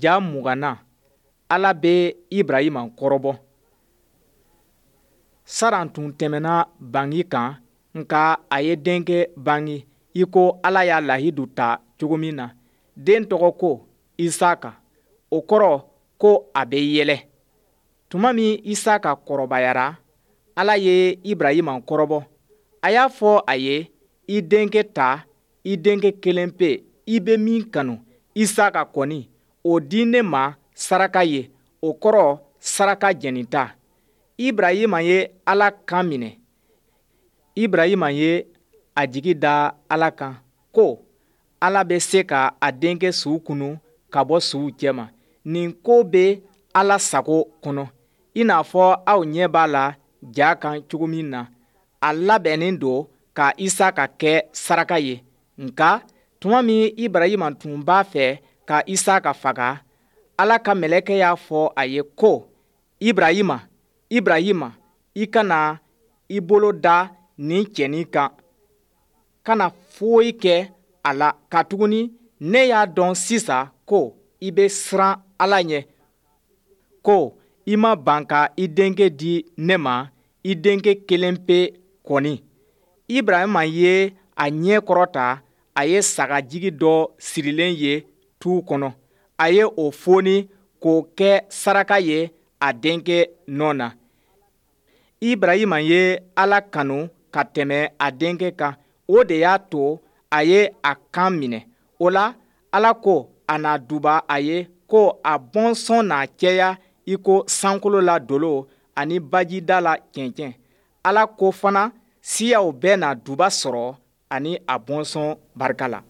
Ja 20nan, Ala bɛ Ibrahima kɔrɔbɔ. Saran tun tɛmɛnna bangi kan, nka a ye denkɛ bange i ko Ala y'a lahidu ta cogo min na. Den tɔgɔ ko Isaka, o kɔrɔ ko a bɛ yɛlɛ. Tuma min Isaka kɔrɔbayara, Ala ye Ibrahima kɔrɔbɔ. A y'a fɔ a ye, I denkɛ ta, i denkɛ kelenpe, i bɛ min kanu, Isaka kɔni, o di ne ma saraka ye, o kɔrɔ saraka jenita. Ibrahima ye Ala kan minɛ. Ibrahima ye a jigi da Ala kan ko Ala bɛ se ka a denkɛ su kunun ka bɔ suw cɛma. Nin ko bɛ Ala sago kɔnɔ, i n'a fɔ aw ɲɛ b'a la ja kan cogo min na. A labɛnnen don ka Isaka kɛ saraka ye. Nka tuma min Ibrahima tun b'a fɛ ka Isaka faga, Ala ka mɛlɛkɛ y'a fɔ a ye ko, Ibrahima, Ibrahima, i kana i bolo da nin cɛnin kan, kana foyi kɛ a la, katuguni ne y'a dɔn sisan ko i bɛ siran Ala ɲɛ, ko i ma ban ka i denkɛ di ne ma, i denkɛ kelenpe kɔni. Ibrahima ye a ɲɛ kɔrɔta, a ye sagajigi dɔ sirilen ye tu kɔnɔ. A ye o foni k'o kɛ saraka ye a denkɛ nɔ na. Ibrahima ye Ala kanu ka tɛmɛ a denkɛ kan, o de y'a to a ye a kan minɛ. O la, Ala ko a na duba a ye ko a bɔnsɔn na caya i ko sankolo la dolo ani bajida la cɛncɛn. Ala ko fana siyaw bɛɛ na duba sɔrɔ ani a bɔnsɔn barika la.